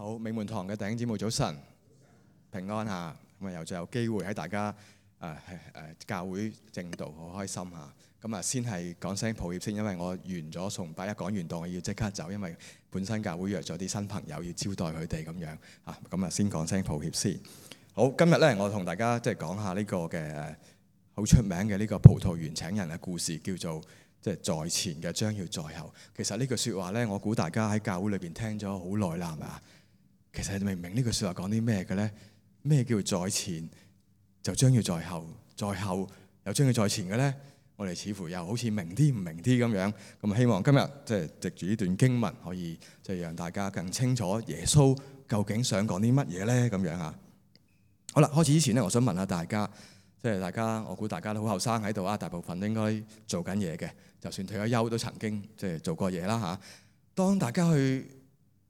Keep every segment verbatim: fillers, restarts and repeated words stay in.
好，美門堂嘅弟兄姊妹早晨，平安嚇，咁啊又再有機會喺大家誒誒誒教會正道，好開心嚇。咁啊先係講聲抱歉先，因為我完咗崇拜，一講完道我要即刻走，因為本身教會約咗啲新朋友要招待佢哋咁樣嚇。咁啊先講聲抱歉先。好，今日咧我同大家即係講下呢個嘅誒好出名嘅呢個葡萄園請人嘅故事，叫做即係在前嘅將要在後。其實呢句説話咧，我估大家喺教會裏邊聽咗好耐啦，係咪啊？其實你明唔明呢句説話講啲咩嘅咧？咩叫在前就將要在後，在後又將要在前嘅咧？我哋似乎又好似明啲唔明啲咁樣。咁希望今日即係藉住呢段經文，可以即係讓大家更清楚耶穌究竟想講啲乜嘢咧？咁樣啊。好啦，開始之前咧，我想問下大家，即係大家，我估大家都好後生喺度啊，大部分都應該做緊嘢嘅，就算退咗休都曾經即係做過嘢啦嚇。當大家去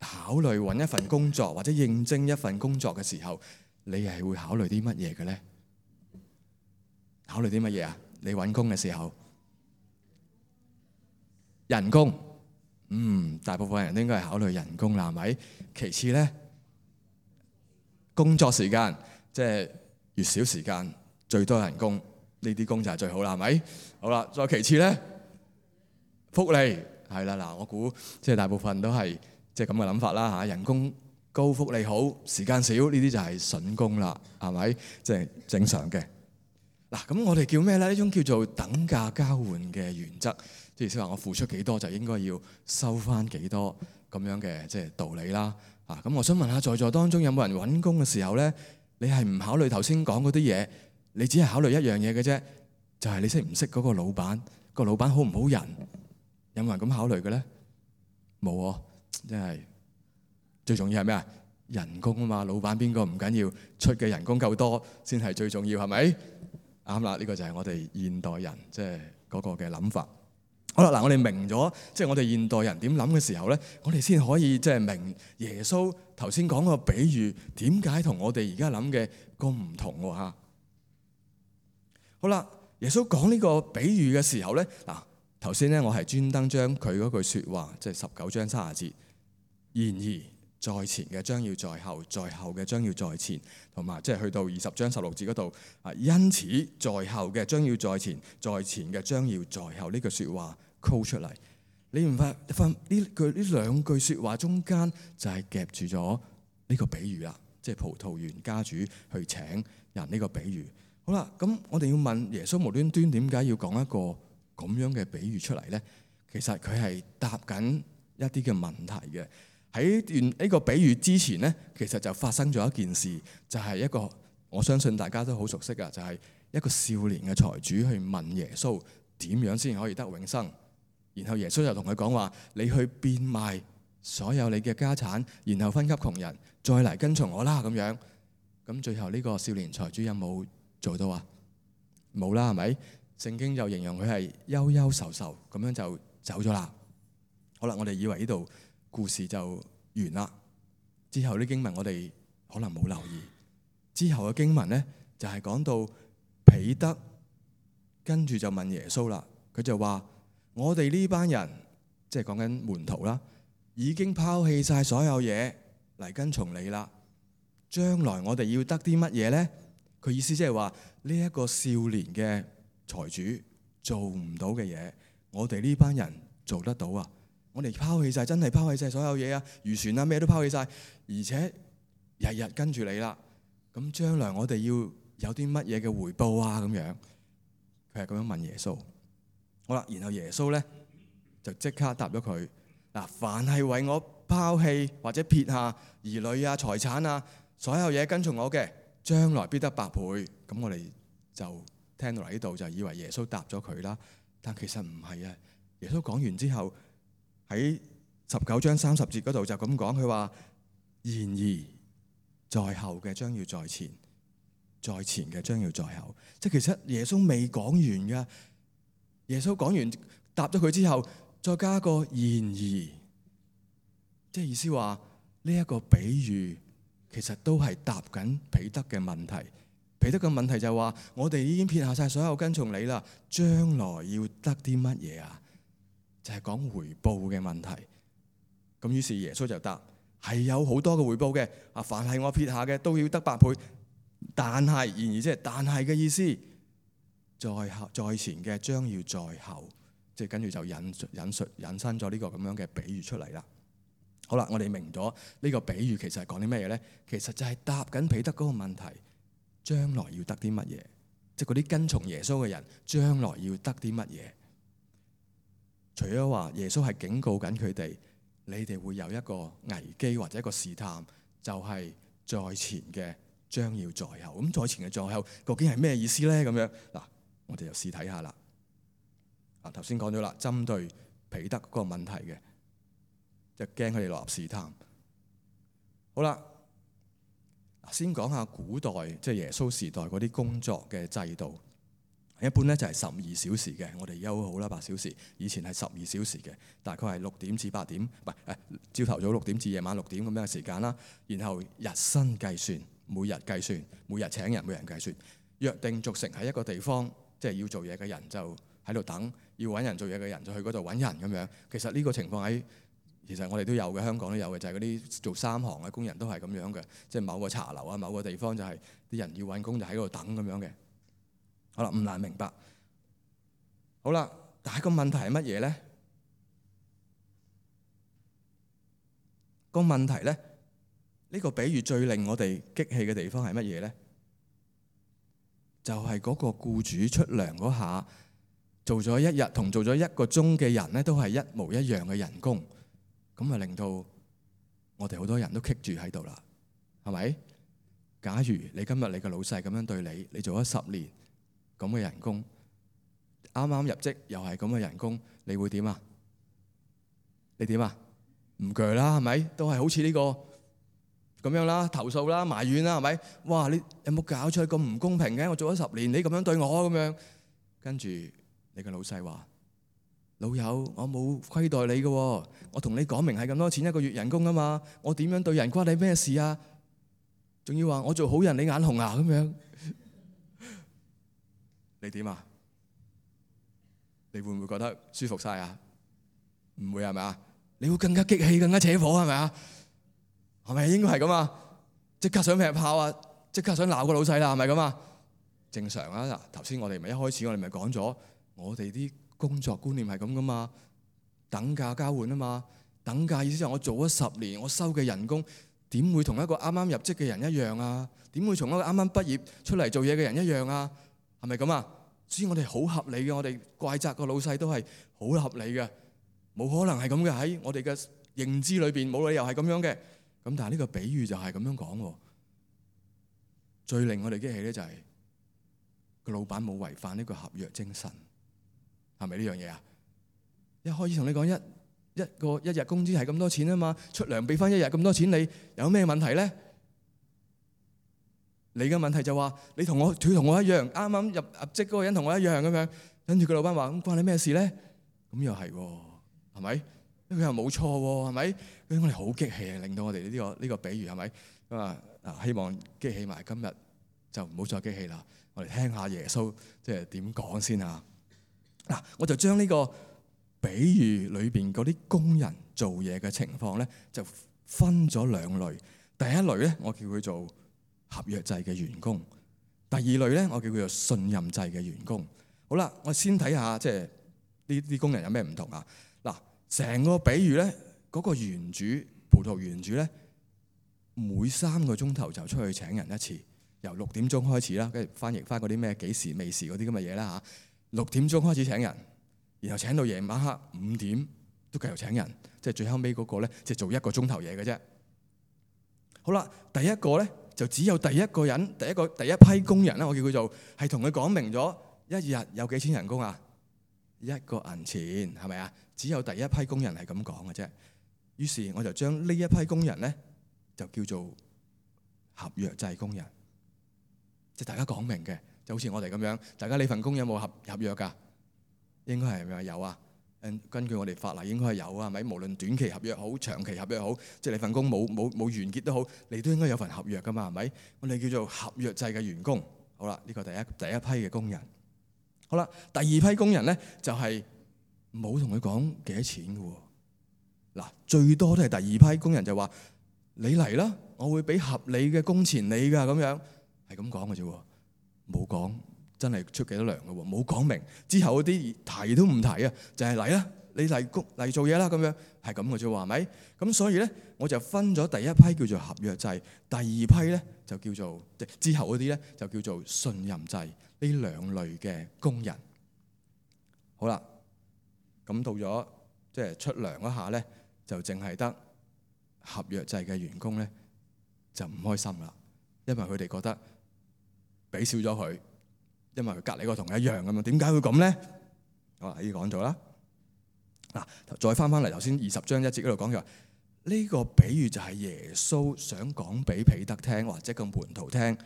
考慮揾一份工作或者應徵一份工作嘅時候，你係會考慮啲乜嘢嘅咧？考慮啲乜嘢啊？你揾工嘅時候，人工，嗯，大部分人都應該係考慮人工啦，係咪？其次咧，工作時間，即係越少時間最多人工，呢啲工就係最好啦，係咪？好啦，再其次咧，福利係啦，嗱，我估即係大部分都係。即係咁嘅諗法啦嚇，人工高、福利好、時間少，呢啲就係筍工啦，係咪？即係正常嘅。嗱，咁我哋叫咩咧？呢種叫做等價交換嘅原則，即係意思話我付出幾多就應該要收翻幾多咁樣嘅即係道理啦。啊，咁我想問下在座當中有冇人揾工嘅時候咧，你係唔考慮頭先講嗰啲嘢，你只係考慮一樣嘢嘅啫，就係你識唔識嗰個老闆，個老闆好唔好人？有冇人咁考慮嘅咧？冇喎。即係最重要係咩啊？人工啊嘛，老闆邊個唔緊要，出嘅人工夠多先係最重要，係咪？啱啦，呢個就係我哋現代人即係嗰個嘅諗法。好啦，嗱，我哋明咗，即係我哋現代人點諗嘅時候咧，我哋先可以即係明耶穌頭先講個比喻點解同我哋而家諗嘅咁唔同喎嚇。好啦，耶穌講呢個比喻嘅時候咧，嗱。頭先咧，我係專登將佢嗰句説話，即係十九章三十節，然而在前嘅將要在後，在後嘅將要在前，同埋即係去到二十章十六節嗰度啊，因此在後嘅將要在前，在前嘅將要在後呢句説話 call 出嚟。你唔發發呢句呢兩句説話中間就係夾住咗呢個比喻啦，即係葡萄園家主去請人呢個比喻。好啦，咁我哋要問耶穌無端端點解要講一個咁樣嘅比喻出嚟呢？其實佢係答緊一啲嘅問題嘅。喺段呢個比喻之前呢，其實就發生咗一件事，就係一個我相信大家都好熟悉嘅，就係一個少年嘅財主去問耶穌點樣先可以得永生。然後耶穌就同佢講話：你去變賣所有你嘅家產，然後分給窮人，再嚟跟從我啦。咁樣咁最後呢個少年財主有冇做到啊？冇啦，係咪？聖經就形容佢係憂憂愁愁咁樣就走咗啦。好啦，我哋以為呢度故事就完啦。之後啲經文我哋可能冇留意。之後嘅經文咧就係講到彼得跟住就問耶穌啦。佢就話：我哋呢班人即係講緊門徒啦，已經拋棄晒所有嘢嚟跟從你啦。將來我哋要得啲乜嘢咧？佢意思即係話呢一個少年嘅財主做唔到嘅嘢，我哋呢班人做得到啊！我哋拋棄晒，真係拋棄晒所有嘢啊，漁船啊咩都拋棄晒，而且日日跟住你啦。咁將來我哋要有啲乜嘢嘅回報啊？咁樣佢係咁樣問耶穌。好啦，然後耶穌咧就即刻答咗佢嗱：凡係為我拋棄或者撇下兒女啊、財產啊、所有嘢跟從我嘅，將來必得百倍。咁我哋就聽到嚟呢度就以為耶穌答咗佢啦，但其實唔係啊！耶穌講完之後喺十九章三十節嗰度就咁講，佢話：然而在後嘅將要在前，在前嘅將要在後。即係其實耶穌未講完噶，耶穌講完答咗佢之後，再加個然而，即係意思話呢一個比喻其實都係答緊彼得嘅問題。彼得嘅問題就係話：我哋已經撇下晒所有跟從你啦，將來要得啲乜嘢啊？就係講回報嘅問題。咁於是耶穌就答：係有好多嘅回報嘅。啊，凡係我撇下嘅都要得百倍。但係，然而即係但係嘅意思，在後在前嘅將要在後，即係跟住就引引述引申咗呢個咁樣嘅比喻出嚟啦。好啦，我哋明咗呢個比喻其實係講啲咩嘢咧？其實就係答緊彼得嗰個問題，將來要得啲乜嘢？即係嗰啲跟從耶穌嘅人，將來要得啲乜嘢？除咗話耶穌係警告緊佢哋，你哋會有一個危機或者一個試探，就係在前嘅將要在後。咁在前嘅在後究竟係咩意思咧？咁樣嗱，我哋就試睇下啦。啊，頭先講咗啦，針對彼得嗰個問題嘅。就驚佢哋落入試探。好啦，先講下古代即係耶穌時代嗰啲工作嘅制度。一般咧就係十二小時嘅，我哋休好啦八小時。以前係十二小時嘅，大概係六點至八點，唔係誒朝頭早六點至夜晚六點咁樣嘅時間啦。然後日薪計算，每日計算，每日請人，每人計算。約定俗成喺一個地方，即係要做嘢嘅人就喺度等，要揾人做嘢嘅人就去嗰度揾人咁樣。其實呢個情況喺其實我哋都有嘅，香港都有嘅，就係嗰啲做三行嘅工人都係咁樣嘅，即係某個茶樓啊、某個地方就係啲人要揾工就喺嗰度等咁樣嘅。好啦，唔難明白。好啦，但係個問題係乜嘢咧？個問題咧，呢個比喻最令我哋激氣嘅地方係乜嘢咧？就係嗰個僱主出糧嗰下，做咗一日同做咗一個鐘嘅人咧，都係一模一樣嘅人工。咁啊，令到我哋好多人都棘住喺度啦，係咪？假如你今日你個老細咁樣對你，你做咗十年咁嘅人工，啱啱入職又係咁嘅人工，你會點啊？你點啊？唔鋸啦，係咪？都係好似呢個咁樣啦，投訴啦，埋怨啦，係咪？哇！你有冇搞錯？咁唔公平嘅，我做咗十年，你咁樣對我咁樣，跟住你個老細話：老友，我冇虧待你嘅，我同你講明係咁多錢一個月人工啊嘛，我點樣對人關你咩事啊？仲要話我做好人你眼紅啊咁樣，你點啊？你會唔會覺得舒服晒啊？唔會係咪啊？你會更加激氣，更加扯火係咪啊？係咪應該係咁啊？即刻想劈炮啊！即刻想鬧個老細啦，係咪咁啊？正常啊！嗱，頭先我哋咪一開始我哋咪講咗，我哋啲工作觀念係咁噶嘛，等價交換啊嘛。等價意思就係我做咗十年，我收嘅人工點會同一個啱啱入職嘅人一樣啊？點會同一個啱啱畢業出嚟做嘢嘅人一樣啊？係咪咁啊？所以我哋好合理嘅，我哋怪責個老細都係好合理嘅，冇可能係咁嘅，喺我哋嘅認知裏邊冇理由係咁樣嘅。咁但係呢個比喻就係咁樣講喎。最令我哋激氣咧就係個老闆冇違反呢個合約精神，係咪呢樣嘢啊？一開始同你講一一個一日工資係咁多錢啊嘛，出糧俾翻一日咁多錢，你有咩問題咧？你嘅問題就話你同我佢同我一樣，啱啱入入職嗰個人同我一樣咁樣，跟住個老闆話咁關你咩事咧？咁又係喎，係咪？佢又冇錯喎，係咪？所以我哋好激氣啊，令到我哋呢個呢個比喻係咪？咁啊啊，希望激氣埋今日就唔好再激氣啦。我哋聽下耶穌即係點講先啊！嗱，我就將呢個比喻裏邊嗰啲工人做嘢嘅情況咧，就分咗兩類。第一類咧，我叫佢做合約制嘅員工；第二類咧，我叫佢做信任制嘅員工。好啦，我先睇下即係呢啲工人有咩唔同啊？嗱，成個比喻咧，嗰個園主葡萄園主咧，每三個鐘頭就出去請人一次，由六點鐘開始啦，跟住翻譯翻嗰啲咩幾時未時嗰啲咁嘅嘢啦嚇。六點鐘開始請人，然後請到夜晚黑五點都繼續請人，即係最後尾嗰個咧，即係做一個鐘頭嘢嘅啫。好啦，第一個咧就只有第一個人，第一個第一批工人啦，我叫佢做係同佢講明咗一日有幾錢人工啊？一個銀錢係咪啊？只有第一批工人係咁講嘅啫。於是我就將呢一批工人咧就叫做合約制工人，即係大家講明嘅，就好似我哋咁樣。大家呢份工有冇合合約㗎？應該係咪有啊？根據我哋法例應該係有啊，係咪？無論短期合約好、長期合約好，即係你份工冇冇冇完結都好，你都應該有份合約㗎嘛，係咪？我哋叫做合約制嘅員工。好啦，呢個第一第一批嘅工人。好啦，第二批工人咧就係冇同佢講幾多錢嘅喎。嗱，最多都係第二批工人就話你嚟啦，我會俾合理嘅工錢你噶，咁樣係咁講嘅啫，冇講真係出幾多糧嘅喎，冇講明之後嗰啲提都唔提啊，就係嚟啦，你嚟工嚟做嘢啦，咁樣係咁嘅啫，係咪？咁所以咧，我就分咗第一批叫做合約制，第二批咧就叫做之後嗰啲咧就叫做信任制，呢兩類嘅工人。好啦，咁到咗即係出糧嗰下咧，就淨係得合約制嘅員工咧就唔開心啦，因為佢哋覺得俾少咗佢，因為佢隔離個同一樣咁樣，點解會咁咧？好啦，已經講咗啦。嗱，再翻翻嚟頭先二十章一節嗰度講嘅話，呢個比喻就係耶穌想講俾彼得聽，或者個門徒聽。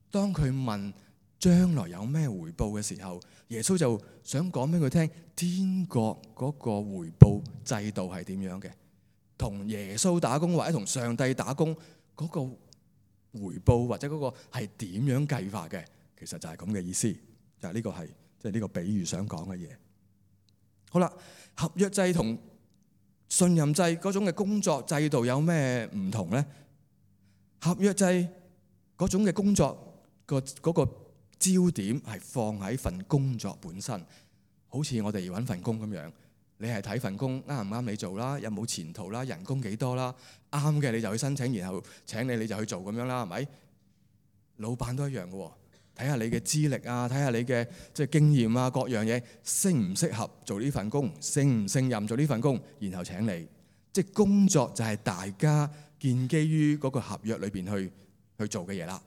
當佢問將來有咩回報嘅時候，耶穌就想講俾佢聽，天國嗰個回報制度係點樣嘅，同耶穌打工或者同上帝打工嗰個回報或者嗰個係點樣計法嘅，其實就係咁嘅意思，就係呢個係即係呢個比喻想講嘅嘢。好啦，合約制同信任制嗰種嘅工作制度有咩唔同呢？合約制嗰種嘅工作個嗰個焦點係放喺份工作本身，好似我哋揾份工咁樣，你係睇份工啱唔啱你做啦，有冇前途啦，人工幾多啦，啱嘅你就去申請，然後請你你就去做咁樣啦，係咪？老闆都一樣嘅喎。睇下你嘅資歷啊，睇下你嘅即係經驗啊，各樣嘢適唔適合做呢份工，勝唔勝任做呢份工，然後請你。即係工作就係大家建基於嗰個合約裏邊去去做嘅嘢啦，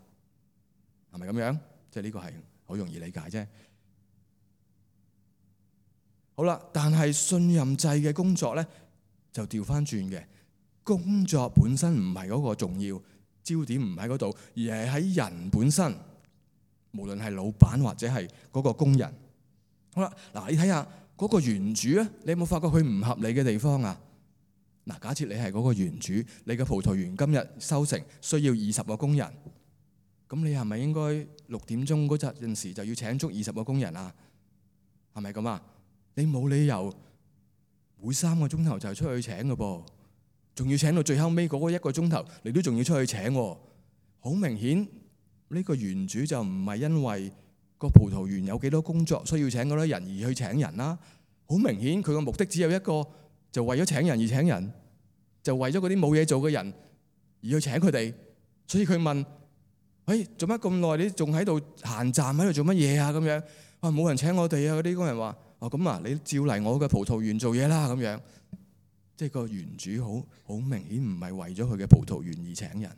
係咪咁樣？即係呢個係好容易理解啫。好啦，但係信任制嘅工作咧就調翻轉嘅，工作本身唔係嗰個重要焦點，唔喺嗰度，而係喺人本身。無論係老闆或者係嗰個工人，好啦，嗱，你睇下嗰個園主咧，你有冇發覺佢唔合理嘅地方啊？嗱，假設你係嗰個園主，你嘅葡萄園今日收成需要二十個工人，咁你係咪應該六點鐘嗰陣時就要請足二十個工人啊？係咪咁啊？你冇理由每三個鐘頭就出去請嘅噃，仲要請到最後尾嗰個一個鐘頭，你都仲要出去請喎，好明顯。呢個園主就唔係因為個葡萄園有幾多工作需要請嗰啲人而去請人啦，好明顯佢個目的只有一個，就為咗請人而請人，就為咗嗰啲冇嘢做嘅人而去請佢哋。所以佢問：喂，做乜咁耐？你仲喺度閒站喺度做乜嘢啊？咁樣話冇人請我哋啊！嗰啲工人話：哦，咁啊，你照嚟我嘅葡萄園做嘢啦。咁樣即係個園主好好明顯唔係為咗佢嘅葡萄園而請人，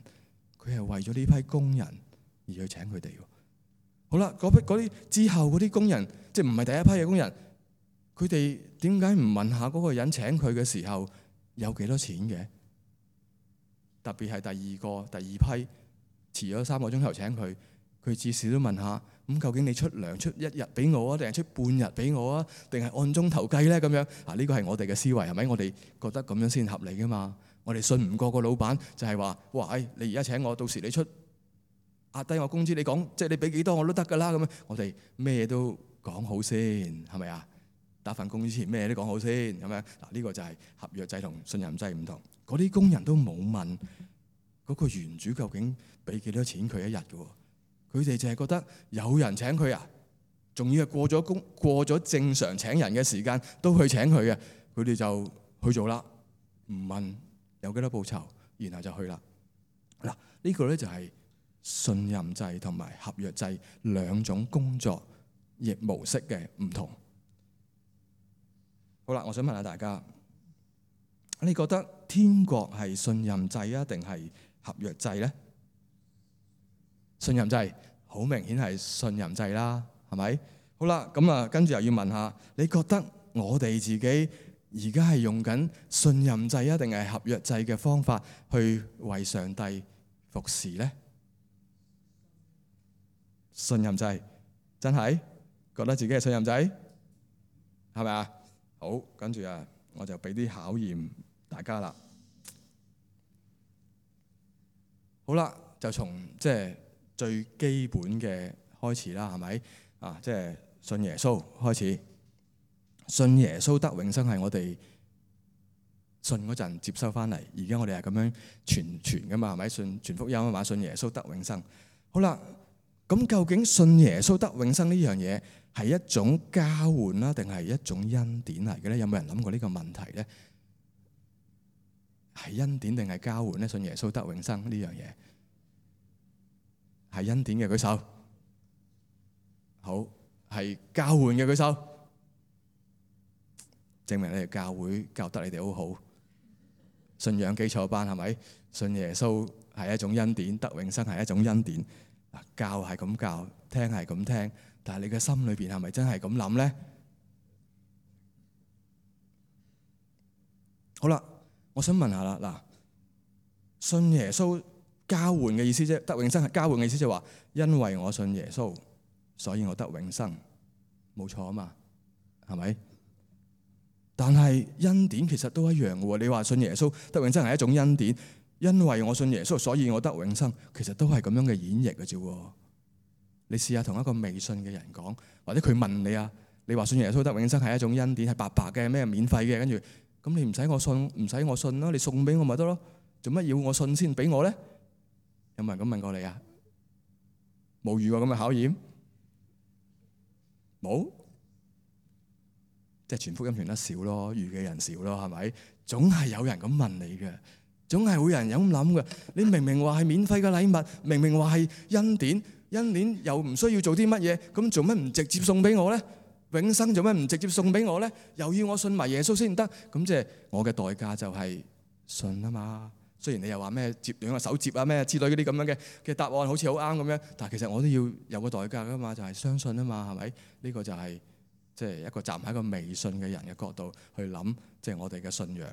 佢係為咗呢批工人而去請佢哋。好啦，嗰批嗰啲之後嗰啲工人，即係唔係第一批嘅工人，佢哋點解唔問下嗰個人請佢嘅時候有幾多錢嘅？特別係第二個、第二批遲咗三個鐘頭請佢，佢至少都問下：咁究竟你出糧出一日俾我啊，定係出半日俾我啊，定係按鐘頭計咧？咁樣啊，呢個係我哋嘅思維，係咪？我哋覺得咁樣先合理噶嘛？我哋信唔過個老闆，就係話：哇，誒，你而家請我，到時你出壓低我工資，你講即係你俾幾多我都得㗎啦。咁樣我哋咩都講好先，係咪啊？打份工之前咩都講好先，咁樣嗱，呢個就係合約制同信任制唔同。嗰啲工人都冇問嗰個園主究竟俾幾多錢佢一日嘅喎，佢哋就係覺得有人請佢啊，仲要係過咗工過咗正常請人嘅時間都去請佢嘅，佢哋就去做啦，唔問有幾多報酬，然後就去啦。嗱，呢個咧就係信任制同埋合約制兩種工作亦模式嘅唔同。好啦，我想問下大家，你覺得天國係信任制啊，定係合約制咧？信任制好明顯係信任制啦，係咪？好啦，咁啊，跟住又要問下，你覺得我哋自己而家係用緊信任制啊，定係合約制嘅方法去為上帝服侍咧？信任制，真係覺得自己係信任制，係咪啊？好，跟住啊，我就俾啲考驗大家啦。好啦，就從即係最基本嘅開始啦，係咪啊？即係信耶穌開始，信耶穌得永生係我哋信嗰陣接收翻嚟。而家我哋係咁樣傳傳噶嘛，係咪？信傳福音啊嘛，信耶穌得永生。好啦，咁究竟信耶穌得永生呢樣嘢係一種交換啦，定係一種恩典嚟嘅咧？有冇人諗過呢個問題咧？係恩典定係交換咧？信耶穌得永生呢樣嘢係恩典嘅舉手。好，係交換嘅舉手。證明你哋教會教得你哋好好，信仰基礎班係咪？信耶穌係一種恩典，得永生係一種恩典。嗱，教係咁教，聽係咁聽，但係你嘅心裏邊係咪真係咁諗咧？好啦，我想問下啦，嗱，信耶穌交換嘅意思啫，得永生係交換嘅意思，就係話因為我信耶穌，所以我得永生，冇錯啊嘛，係咪？但係恩典其實都一樣嘅喎。你話信耶穌得永生係一種恩典，因為我信耶穌，所以我得永生，其實都係咁樣嘅演繹嘅啫。你試下同一個未信嘅人講，或者佢問你啊，你話信耶穌得永生係一種恩典，係白白嘅，咩免費嘅，跟住咁你唔使我信，唔使我信咯，你送俾我咪得咯，做乜要我信先俾我咧？有冇人咁問過你啊？冇遇過咁嘅考驗？冇？即係傳福音傳得少咯，遇嘅人少咯，係咪？總係有人咁問你嘅，總係會有人有咁諗嘅。你明明話係免費嘅禮物，明明話係恩典，恩典又唔需要做啲乜嘢，咁做乜唔直接送俾我咧？永生做乜唔直接送俾我咧？又要我信埋耶穌先得？咁即係我嘅代價就係信啊嘛。雖然你又話咩接兩個手接啊咩之類嗰啲咁樣嘅嘅答案好似好啱咁樣，但係其實我都要有個代價噶嘛，就係相信啊嘛，係咪？呢個就係。即係一個站喺一個未信嘅人嘅角度去諗，即係我哋嘅信仰。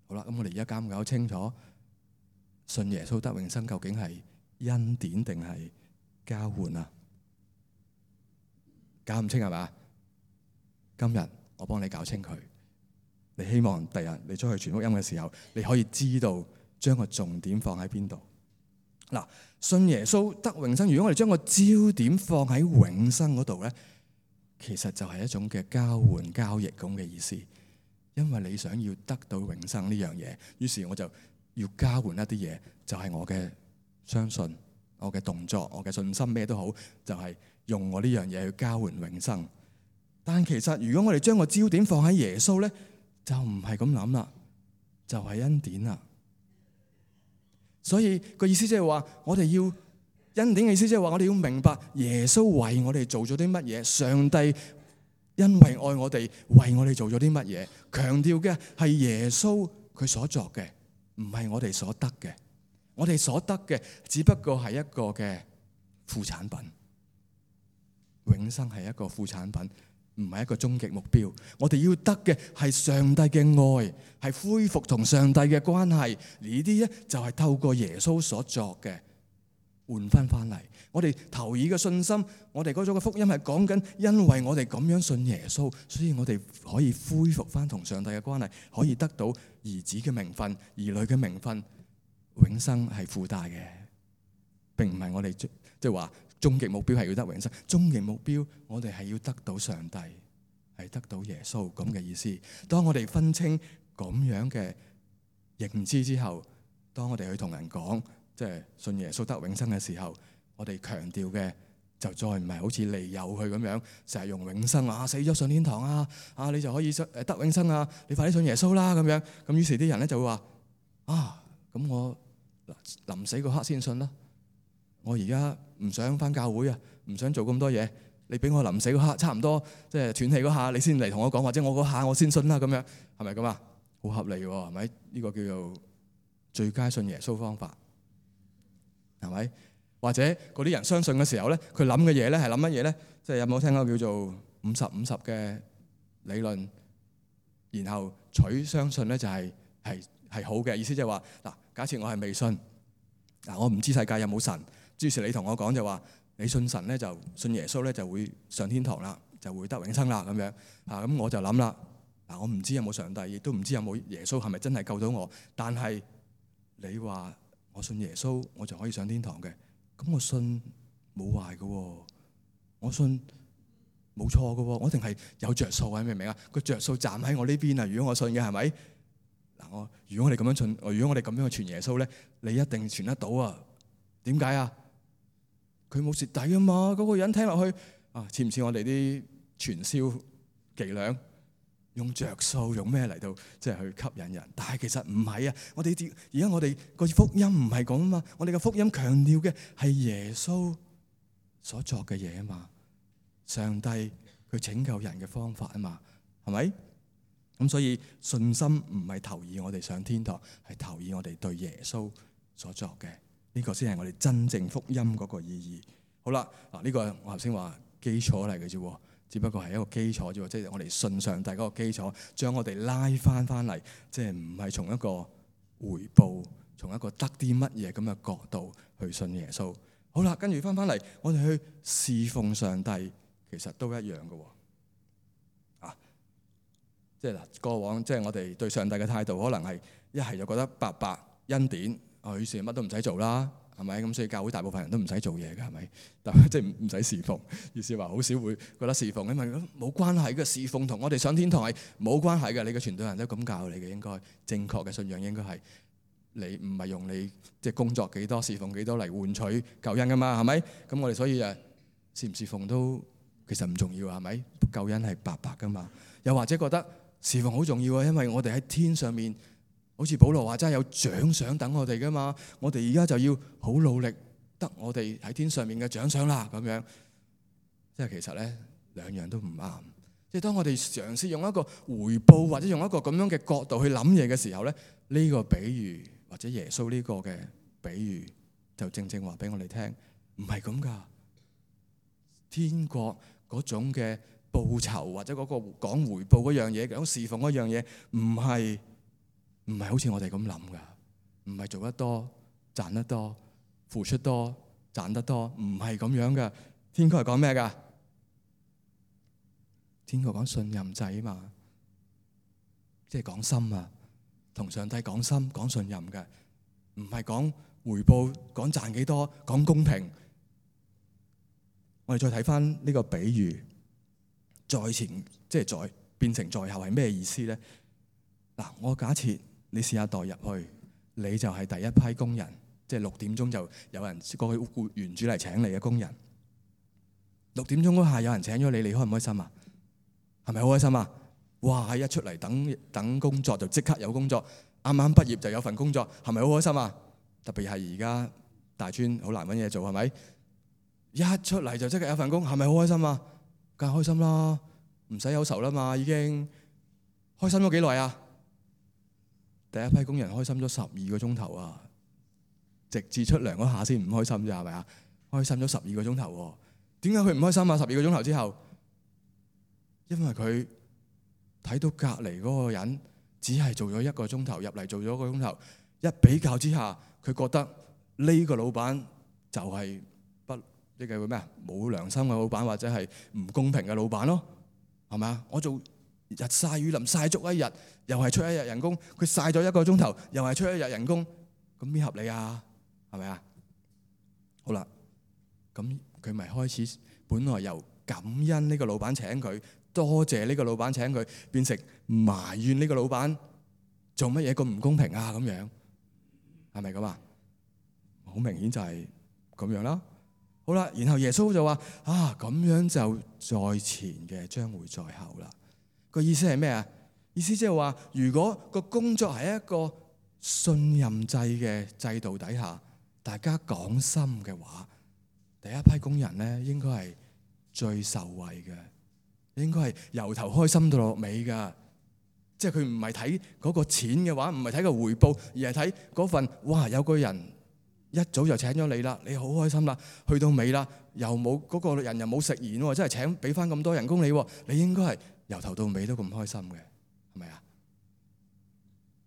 好啦，咁我哋而家搞唔搞清楚信耶穌得永生究竟係恩典定係交換啊？搞唔清係嘛？今日我幫你搞清佢。你希望第日你出去傳福音嘅時候，你可以知道將個重點放喺邊度。嗱，信耶穌得永生，如果我哋將個焦點放喺永生嗰度咧，其實就係一種嘅交換交易咁嘅意思，因為你想要得到永生呢樣嘢，於是我就要交換一啲嘢，就係我嘅相信、我嘅動作、我嘅信心，咩都好，就係用我呢樣嘢去交換永生。但其實如果我哋將個焦點放喺耶穌咧，就唔係咁諗啦，就係恩典啦。所以個意思即係話，我哋要。恩典嘅意思即係話，我哋要明白耶穌為我哋做咗啲乜嘢，上帝因為愛我哋，為我哋做咗啲乜嘢。強調嘅係耶穌佢所作嘅，唔係我哋所得嘅。我哋所得嘅只不過係一個嘅副產品，永生係一個副產品，唔係一個終極目標。我哋要得嘅係上帝嘅愛，係恢復同上帝嘅關係。呢啲咧就係透過耶穌所作嘅。換翻翻嚟，我哋投以嘅信心，我哋嗰種嘅福音係講緊，因為我哋咁樣信耶穌，所以我哋可以恢復翻同上帝嘅關係，可以得到兒子嘅名分、兒女嘅名分。永生係附帶嘅，並唔係我哋即係話終極目標係要得永生。終極目標我哋係要得到上帝，係得到耶穌咁嘅意思。當我哋分清咁樣嘅認知之後，當我哋去同人講，即係信耶穌得永生嘅時候，我哋強調嘅就再唔係好似利誘佢咁樣，成日用永生啊，死咗上天堂啊，啊你就可以得永生啊，你快啲信耶穌啦咁樣。咁於是啲人咧就會話啊，咁我臨死嗰刻先信啦。我而家唔想返教會啊，唔想做咁多嘢。你俾我臨死嗰刻差唔多即係斷氣嗰下，你先嚟同我講，或者我嗰下我先信啦咁樣，係咪咁啊？好合理喎，係咪？呢個叫做最佳信耶穌方法。係咪？或者嗰啲人相信嘅時候咧，佢諗嘅嘢咧係諗乜嘢咧？即係有冇聽過叫做五十五十嘅理論？然後取相信咧就係係係好嘅意思，即係話嗱，假設我係未信，嗱我唔知世界有冇神，於是你同我講就話你信神咧就信耶穌咧就會上天堂啦，就會得永生啦咁樣啊。咁我就諗啦，嗱我唔知有冇上帝，亦都唔知有冇耶穌係咪真係救到我，但係你話。我信耶穌，我就可以上天堂嘅。咁我信冇壞嘅，我信冇錯嘅，我一定係有着數啊！明唔明啊？個着數站喺我呢邊啊！如果我信嘅係咪？嗱，我如果我哋咁樣傳，如果我哋咁樣去傳耶穌咧，你一定傳得到啊？點解啊？佢冇蝕底啊嘛，嗰個人聽落去啊，似唔似我哋啲傳銷伎倆？用着數用咩嚟到即係去吸引人？但係其實唔係啊！我哋而家我哋個福音唔係咁啊嘛，我哋嘅福音強調嘅係耶穌所作嘅嘢啊嘛，上帝佢拯救人嘅方法啊嘛，係咪？咁所以信心唔係投以我哋上天堂，係投以我哋對耶穌所作嘅，呢個先係我哋真正福音嗰個意義。好啦，嗱呢個我頭先話基礎嚟嘅啫，只不過係一個基礎啫，即係我哋信上帝嗰個基礎，將我哋拉翻翻嚟，即係唔係從一個回報，從一個得啲乜嘢咁嘅角度去信耶穌。好啦，跟住翻翻嚟，我哋去侍奉上帝，其實都一樣嘅。啊，即係嗱，過往即係我哋對上帝嘅態度，可能係一係就覺得白白恩典，啊，於是乜都唔使做啦。係咪咁？所以教會大部分人都唔使做嘢嘅，係咪？但係即係唔使侍奉，意思話好少會覺得侍奉，因為冇關係嘅。侍奉同我哋上天堂係冇關係嘅。你嘅傳道人都咁教你嘅，應該正確嘅信仰應該係你唔係用你即係工作幾多、侍奉幾多嚟換取救恩噶嘛？係咪？咁我哋所以誒侍唔侍奉都其實唔重要，係咪？救恩係白白噶嘛？又或者覺得侍奉好重要啊，因為我哋喺天上面。好似保羅話真係有獎賞等我哋噶嘛，我哋而家就要好努力得我哋喺天上面嘅獎賞啦，咁樣即係其實咧兩樣都唔啱。即係當我哋嘗試用一個回報或者用一個咁樣嘅角度去諗嘢嘅時候咧，呢個比喻或者耶穌呢個嘅比喻就正正話俾我哋聽，唔係咁噶。天國嗰種嘅報酬或者嗰個講回報嗰樣嘢，講侍奉嗰樣嘢，唔係。唔係好似我哋咁諗噶，唔係做得多賺得多，付出多賺得多，唔係咁樣噶。天國係講咩噶？天國講信任制啊嘛，即係講心啊，同上帝講心講信任嘅，唔係講回報，講賺幾多，講公平。我哋再睇翻呢個比喻，在前即係在變成在後係咩意思咧？嗱，我假設。你試下代入去，你就係第一批工人，即係六點鐘就有人過去僱員主嚟請你嘅工人。六點鐘嗰下有人請咗你，你開唔開心啊？係咪好開心啊？哇！一出嚟等等工作就即刻有工作，啱啱畢業就有份工作，係咪好開心啊？特別係而家大專好難揾嘢做，係咪？一出嚟就即刻有份工，係咪好開心啊？梗係開心啦，唔使憂愁啦嘛，已經開心咗幾耐啊？第一批工人開心咗十二個鐘頭啊，直至出糧嗰下先唔開心啫，係咪啊？開心咗十二個鐘頭喎，點解佢唔開心啊？十二個鐘頭之後，因為佢睇到隔離嗰個人只係做咗一個鐘頭，入嚟做咗一個鐘頭，一比較之下，佢覺得呢個老闆就係不呢個咩啊？冇良心嘅老闆，或者係唔公平嘅老闆咯，係咪啊？我做日曬雨淋曬足一日，又係出一日人工。佢曬咗一個鐘頭，又係出一日人工，咁邊合理啊？係咪啊？好啦，咁佢咪開始本來由感恩呢個老闆請佢，多謝呢個老闆請佢，變成埋怨呢個老闆做乜嘢咁唔公平啊？咁樣係咪咁啊？好明顯就係咁樣啦。好啦，然後耶穌就話啊，咁樣就在前嘅將會在後啦。個意思係咩啊？意思即係話，如果個工作係一個信任制嘅制度底下，大家講心嘅話，第一批工人咧應該係最受惠嘅，應該係由頭開心到落尾噶。即係佢唔係睇嗰個錢嘅話，唔係睇個回報，而係睇嗰份哇，有個人一早就請咗你啦，你好開心啦，去到尾啦，又冇嗰個人又冇食言喎，真係請俾翻咁多人工你，你應該係由頭到尾都咁開心嘅，係咪啊？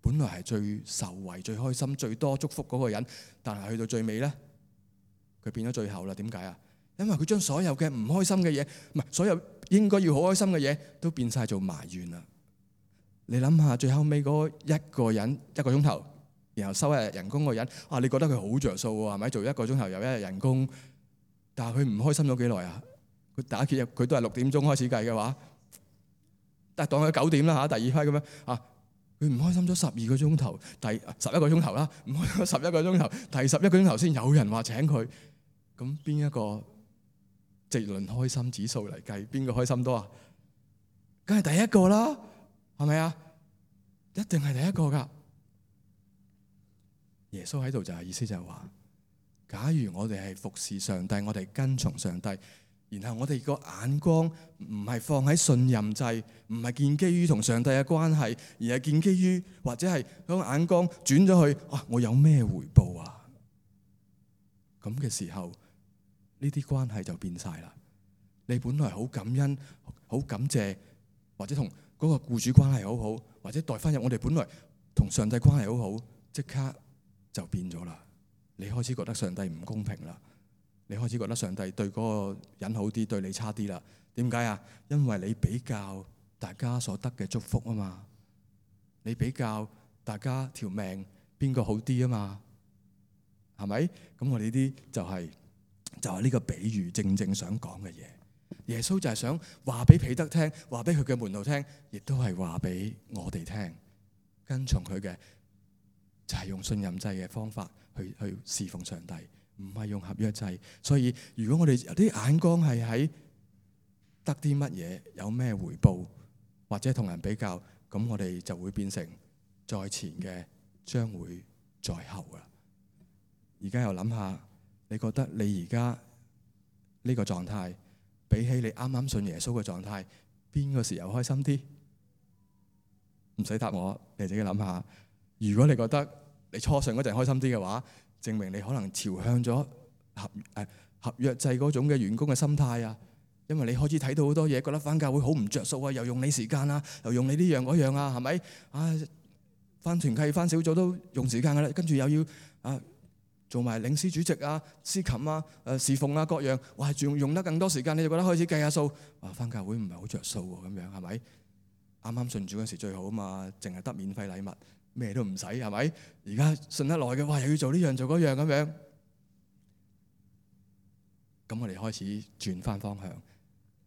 本來係最受惠、最開心、最多祝福嗰個人，但係去到最尾咧，佢變咗最後啦。點解啊？因為佢將所有嘅唔開心嘅嘢，唔係所有應該要好開心嘅嘢，都變晒做埋怨啦。你諗下，最後尾嗰一個人一個鐘頭，然後收一日人工嗰個人，啊，你覺得佢好着數喎，係咪？做一個鐘頭又一日人工，但係佢唔開心咗幾耐啊？佢打結佢都係六點鐘開始計嘅話。但係當佢九點啦嚇，第二批咁樣啊，佢唔開心咗十二個鐘頭，第十一個鐘頭啦，唔開心十一個鐘頭，第十一個鐘頭先有人話請佢。咁邊一個直論開心指數嚟計，邊個開心多啊？梗係第一個啦，係咪啊？一定係第一個噶。耶穌喺度就係意思就係話，假如我哋係服侍上帝，我哋跟從上帝，然後我哋個眼光唔係放喺信任制，唔係建基於同上帝嘅關係，而係建基於或者係嗰個眼光轉咗去，啊，我有咩回報啊？咁嘅時候，呢啲關係就變晒啦。你本來好感恩、好感謝，或者同嗰個僱主關係好好，或者代翻入我哋本來同上帝關係好好，即刻就變咗啦。你開始覺得上帝唔公平啦，你開始覺得上帝對嗰個人好啲，對你差啲啦。點解啊？因為你比較大家所得嘅祝福啊嘛，你比較大家條命邊個好啲啊嘛，係咪？咁我哋呢啲就係、是、就係、是、呢個比喻正正想講嘅嘢。耶穌就係想話俾彼得聽，話俾佢嘅門徒聽，亦都係話俾我哋聽。跟從佢嘅就係用信任制嘅方法去去侍奉上帝，唔係用合約制。所以如果我哋有啲眼光係喺得啲乜嘢，有咩回報，或者同人比較，咁我哋就會變成在前嘅將會在後噶。而家又諗下，你覺得你而家呢個狀態，比起你啱啱信耶穌嘅狀態，邊個時候開心啲？唔使答我，你自己諗下。如果你覺得你初信嗰陣開心啲嘅話，證明你可能朝向咗合誒合約制嗰種嘅員工嘅心態啊。因為你開始睇到好多嘢，覺得返教會好唔着數啊，又用你時間啊，又用你呢樣嗰樣啊，係咪？啊，返團契、返小組都用時間噶啦，跟住又要啊做埋領詩主席啊、司琴啊、誒侍奉啊各樣，哇，仲用得更多時間，你就覺得開始計下數，哇，返教會唔係好着數喎，咁樣係咪？啱啱信主嗰時最好啊嘛，淨係得免費禮物，咩都唔使，係咪？而家信得耐嘅，哇，又要做呢樣做嗰樣咁樣，咁我哋開始轉翻方向，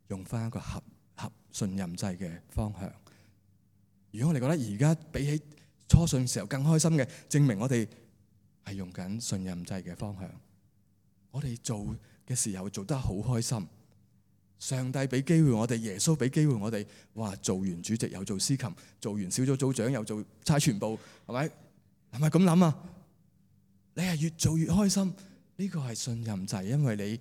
用翻一個合合信任制嘅方向。如果我哋覺得而家比起初信時候更開心嘅，證明我哋係用緊信任制嘅方向。我哋做嘅時候做得好開心。上帝俾機會我哋，耶穌俾機會我哋，哇！做完主席又做司琴，做完小組組長又做差傳部，係咪？係咪咁諗啊？你係越做越開心，呢個係信任制，因為你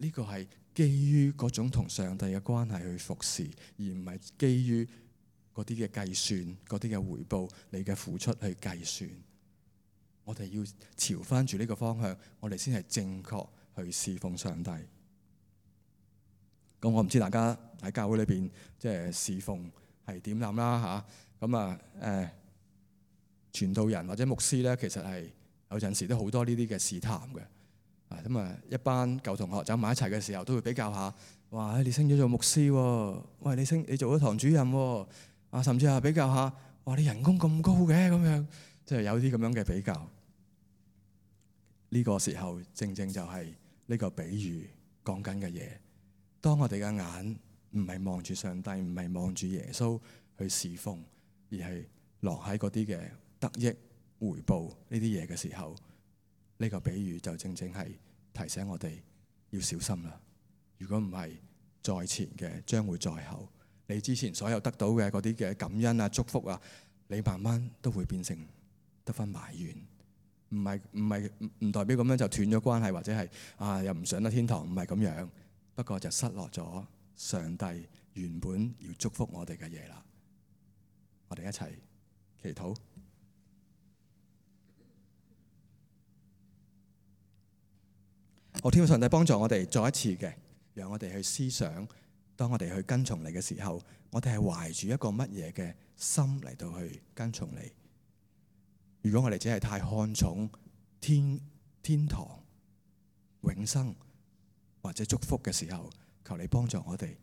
呢個係基於嗰種同上帝嘅關係去服侍，而唔係基於嗰啲嘅計算、嗰啲嘅回報、你嘅付出去計算。我哋要朝翻住呢個方向，我哋先係正確去侍奉上帝。咁我唔知大家喺教會裏邊即係侍奉係點諗啦嚇。咁啊誒，傳道人或者牧師咧，其實係有陣時都好多呢啲嘅試探嘅。啊咁啊，一班舊同學走埋一齊嘅時候，都會比較下，哇！你升咗做牧師喎，喂，你升你做咗堂主任喎，啊，甚至係比較下，哇！你人工咁高嘅咁樣，即係有啲咁樣嘅比較。呢個時候正正就係呢個比喻講緊嘅嘢。當我哋嘅眼唔係望住上帝，唔係望住耶穌去侍奉，而係落喺嗰啲嘅得益回報呢啲嘢嘅時候，呢個比喻就正正係提醒我哋要小心啦。如果唔係，在前嘅將會在後。你之前所有得到嘅嗰啲嘅感恩啊、祝福啊，你慢慢都會變成得返埋怨。唔係唔係唔代表咁樣就斷咗關係，或者係啊又唔上得天堂，唔係咁樣。不過就失落咗上帝原本要祝福我哋嘅嘢啦。我哋一齊祈禱。我天父上帝幫助我哋再一次嘅，讓我哋去思想，當我哋去跟從你嘅時候，我哋係懷住一個乜嘢嘅心嚟到去跟從你。如果我哋只係太看重天天堂、永生或者祝福嘅時候，求你幫助我哋，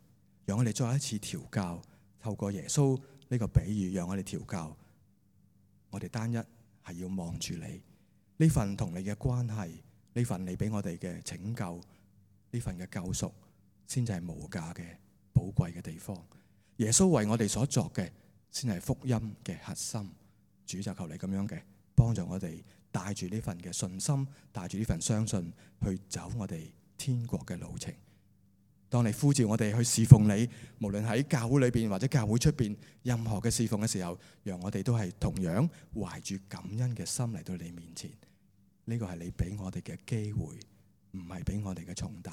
讓我哋再一次調教，透過耶穌呢個比喻，讓我哋調教。我哋單一係要望住你呢份同你嘅關係，呢份你俾我哋嘅拯救，呢份嘅救贖，先至係無價嘅寶貴嘅地方。耶穌為我哋所作嘅，先係福音嘅核心。主就求你咁樣嘅幫助我哋，帶住呢份嘅信心，帶住呢份相信去走我哋天國嘅路程。當你呼召我哋去侍奉你，無論喺教會裏邊或者教會出邊任何嘅侍奉嘅時候，讓我哋都係同樣懷住感恩嘅心嚟到你面前。呢個係你俾我哋嘅機會，唔係俾我哋嘅重擔。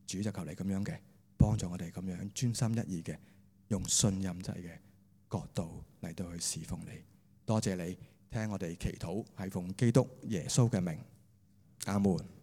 主就求你咁樣嘅幫助我哋，咁樣專心一意嘅用信任制嘅角度嚟到去侍奉你。多謝你聽我哋祈禱，係奉基督耶穌嘅名，阿門。